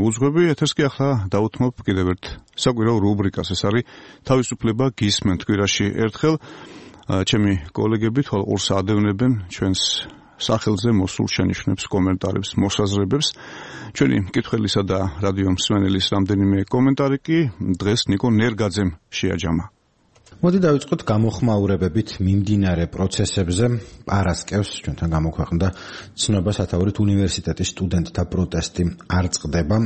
უძღვები, ეთერს კი ახლა დავუთმობ კიდევ ერთ საკვირაო რუბრიკას. ეს არის თავისუფლება გისმენთ კვირაში ერთხელ. ჩემი კოლეგები თვალ ორს ადევნებენ ჩვენს სახელზე მოსულ შენიშვნებს, კომენტარებს, მოსაზრებებს. ჩვენი მკითხველისა და რადიო მსმენელის რამდენიმე კომენტარი კი დღეს ნიკო ნერგაძემ შეაჯამა. მოდი დავიწყოთ გამოხმაურებებით მიმდინარე პროცესებზე. პარასკევს ჩვენთან გამოქვეყნდა ცნობა სათაურით უნივერსიტეტის სტუდენტთა პროტესტი არ წყდება.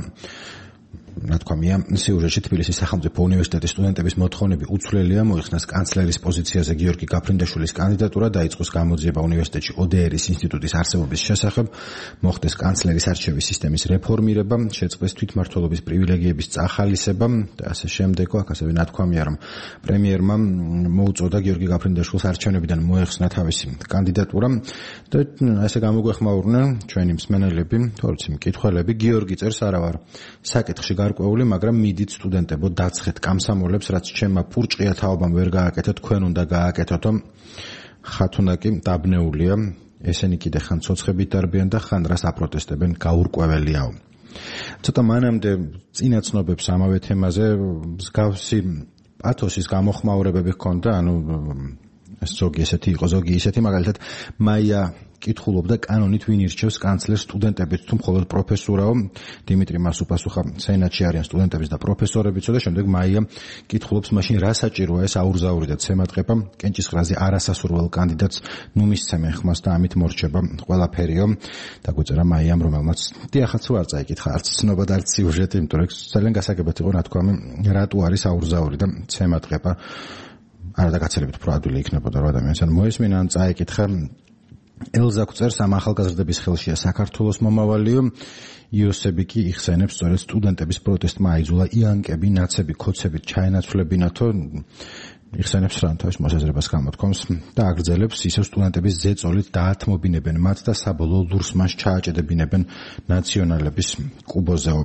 ნათქვამია, სიუჟეტში თბილისის სახელმწიფო უნივერსიტეტის სტუდენტების მოთხოვნები უცვლელია, მოიხსნას კანცლერის პოზიციაზე გიორგი გაფრინდაშვილის კანდიდატურა, დაიწყოს გამოძიება უნივერსიტეტში ODR-ის ინსტიტუტის არსებობის შესახებ, მოხდეს კანცლერის არჩევის სისტემის რეფორმირება, შეწყდეს თვითმმართველობის პრივილეგიების წახალისება და ასე შემდეგ. აქ ასევე ნათქვამია, რომ პრემიერმა მოუწოდა გიორგი გაფრინდაშვილს არჩევნებიდან მოეხსნა თავისი კანდიდატურა და ასე გამოგვეხმაურნენ ჩვენი მსმენელები, თორემ მკითხველები. გიორგი წერს, არა ვარ საკითხში გარკვეული, მაგრამ მიდით სტუდენტებო დაცხეთ კამსამოლებს, რაც ჩემმა პურჭყია თაობამ ვერ გააკეთო, თქვენ უნდა გააკეთოთო. ხათუნა კი დაბნეულია, ესენი კიდე ხან ცოცხებით დარბიან და ხან რას აპროტესტებენ, გაურკვეველიაო. ცოტა მანამდე წინაცნობებს ამავე თემაზე მსგავსი პათოსის გამოხმაურებები ჰქონდა, ზოგი ესეთი იყო, ზოგი ისეთი, მაგალითად მაია კითხულობდა კანონით ვინ ირჩევს კანცლერს სტუდენტებით თუ მხოლოდ პროფესორაო. დიმიტრი მას უპასუხა, სენატში არიან სტუდენტების და პროფესორებიც და შემდეგ მაია კითხულობს, მაშინ რა საჭიროა ეს აურზაური და ცემატყება, კენჭისყრაზე არასასურველ კანდიდატს ნუ მისცემენ ხმას და ამით მორჩება ყველაფერიო. დაგვეწერა მაიამ, რომელმაც დიახაც რო არ წაიკითხა არც ცნობა და არც სიუჟეტი, იმიტომ რომ ძალიან გასაგებად იყო ნათქვამი, რატო არის აურზაური და ცემატყება. არა და გაცილებით უფრო ადვილი იქნებოდა რომ ადამიანს ან მოესმინა ან წაიკითხა. ელზა წერს, ამ ახალგაზრდების ხელშია საქართველოს მომავალიო. იოსები კი იხსენებს, სწორედ სტუდენტების პროტესტმა აიძულა იანკები, ნაცები, ქოცებით ჩაენაცვლებინათო. იხსენებს რა თავის მოსაზრებას გამოთქვამს და აგრძელებს, ისევ სტუდენტების ზეწოლით დაათმობინებენ მათ და საბოლოო ლურს მას ჩააჭედებინებენ ნაციონალების კუბოზეო.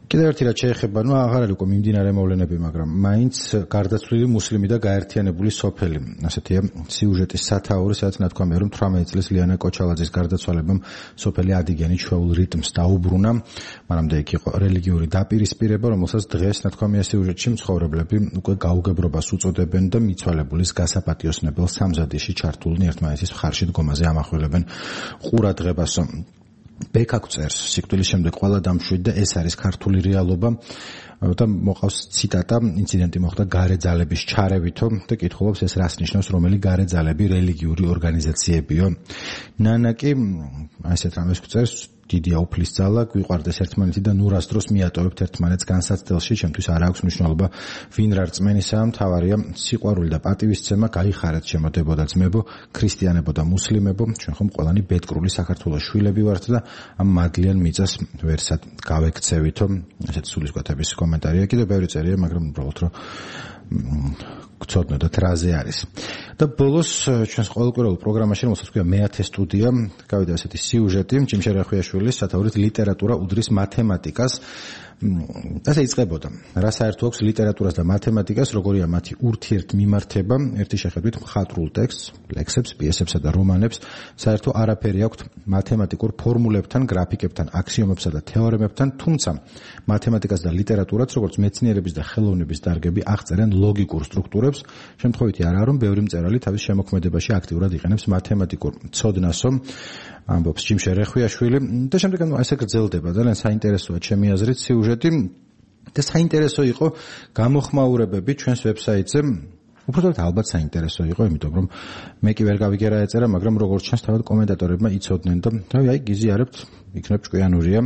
კიდევ ერთი რაც შეეხება, აღარ არის უკვე მიმდინარე მოვლენები, მაგრამ მაინც გარდაცვლილი მუსლიმი და გაერთიანებული სოფელი. ასეთია სიუჟეტის სათაური, სადაც ნათქვამია, რომ 18 წლის ლიანა კოჩალაძის გარდაცვალებამ სოფელი ადიგენი ჩვეულ რიტმს დაუბრუნა. მანამდე იქ იყო რელიგიური დაპირისპირება, რომელსაც დღეს ნათქვამია სიუჟეტში მცხოვრებლები უკვე გაუგებრობას უწოდებენ და მიცვალებულის გასაპატიოსნებელ სამზადისში ჩართულნი ერთმანეთის მხარში დგომაზე ამახვილებენ ყურადღებასო. ბექაკ წერს, სიკვდილის შემდეგ ყველა დამშვიდ და ეს არის ქართული რეალობა და მოყავს ციტატა, ინციდენტი მოხდა გარე ძალების ჩარევითო და კითხულობს, ეს რას ნიშნავს, რომელი გარე ძალები, რელიგიური ორგანიზაციებიო. ნანა კი ასეთ რამეს წერს, დიდია უფლის ძალა, გვიყვარდეს ერთმანეთი და ნურას დროს მიატოვებთ ერთმანეთს განსაცდელში, ჩემთვის არ აქვს მნიშვნელობა ვინ რა რწმენისაა, მთავარია სიყვარული და პატივისცემა, გაიხარეთ შემოდებო და ძმებო, ქრისტიანებო და მუსლიმებო, ჩვენ ხომ ყველანი ბედკრული საქართველოს შვილები ვართ და ამ მადლიან მიწას ვერსად გავექცევითო. ასეთი სულისკვეთების კომენტარია, კიდევ ბევრი წერია, მაგრამ უბრალოდ რომ გწოდნოდეთ რაზე არის. და ბოლოს ჩვენს ყოველკვირეულ პროგრამაში, რომელსაც ქვია მეათე სტუდია, გავიდა ასეთი სიუჟეტი, ჯიმშე რახვიაშვილის სათაურით ლიტერატურა უდრის მათემატიკას. ასე იწყებოდა. რა საერთო აქვს ლიტერატურას და მათემატიკას, როგორია მათი ურთიერთმიმართება, ერთი შეხედვით მხატვრულ ტექსტს, ლექსებს, პიესებსა და რომანებს, საერთო არაფერი აქვს მათემატიკურ ფორმულებთან, გრაფიკებთან, აქსიომებსა და თეორემებთან, თუმცა მათემატიკას და ლიტერატურას, როგორც მეცნიერების და ხელოვნების დარგები, აღწერენ ლოგიკურ სტრუქტურებს, შემთხვევითი არაა, რომ ბევრი მწერალი თავის შემოქმედებაში აქტიურად იყენებს მათემატიკურ ცოდნასო, ამბობს ჯიმშე რახვიაშვილი და შემდეგ ასე გრძელდება. ძალიან საინტერესოა ჩემი აზრით სიუჟეტი და საინტერესო იყო გამოხმაურებები ჩვენს ვებსაიტზე. უბრალოდ ალბათ საინტერესო იყო, იმიტომ რომ მე კი ვერ გავიგე რა ეწერა, მაგრამ როგორც ჩანს თავად კომენტატორებმა იცოდნენ და რავი, აი გიზიარებთ, იქნებ ჭკვიანურია.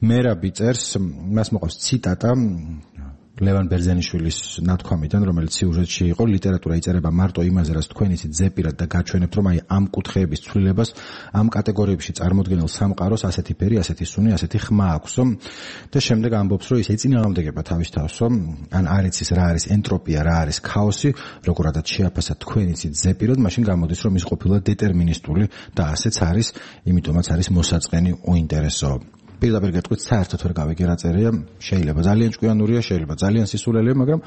მერაბი წერს, მას მოყავს ციტატა ლევან ბერძენიშვილის ნათქვამიდან, რომელიც სიუჟეტში იყო, ლიტერატურა იწერება მარტო იმაზე, რაც თქვენ იცით ზეპირად და გაჩვენებთ, რომ აი ამ კუთხეების ცვლილებას, ამ კატეგორიებში წარმოდგენილ სამყაროს ასეთი ფერი, ასეთი სუნი, ასეთი ხმა აქვსო და შემდეგ ამბობს, რომ ის ეწინააღმდეგება თავის თავსო, ან არ იცის რა არის ენტროპია, რა არის ქაოსი, როგორადაც შეაფასა თქვენ იცით ზეპირად, მაშინ გამოდის, რომ ის ყოფილა დეტერმინისტული და ასეც არის, იმიტომაც არის მოსაწყენი უინტერესო. პირდაპირ გეტყვით, საერთოდ ვერ გავიგე რა წერია, შეიძლება ძალიან ჭკვიანურია, შეიძლება ძალიან სისულელია, მაგრამ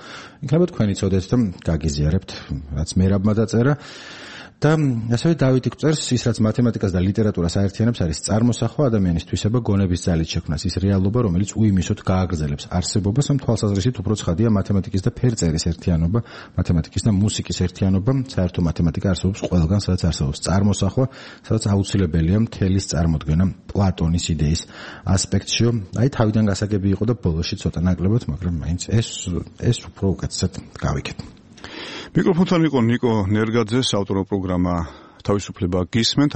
იქნება თქვენი ცოდეთ და გაგიზიარებთ, რაც მერაბმა დაწერა. და ასევე დავითი გვწერს ის რაც მათემატიკას და ლიტერატურას აერთიანებს არის წარმოსახვა ადამიანის თვისება გონების ძალით შექმნას ის რეალობა რომელიც უიმისოდ გააგრძელებს არსებობას ამ თვალსაზრისით უფრო ცხადია მათემატიკის და ფერწერის ერთიანობა მათემატიკის და მუსიკის ერთიანობა საერთო მათემატიკა არსებობს ყველგან სადაც არსებობს წარმოსახვა სადაც აუცილებელია მთელის წარმოდგენა პლატონის იდეის ასპექტშიო აი თავიდან გასაგები იყო და ბოლოში ცოტა ნაკლებად მაგრამ მაინც ეს უფრო უკეთესად გავიქეთ მიკროფონთან იყო ნიკო ნერგაძე ავტორო პროგრამა თავისუფლება გისმენთ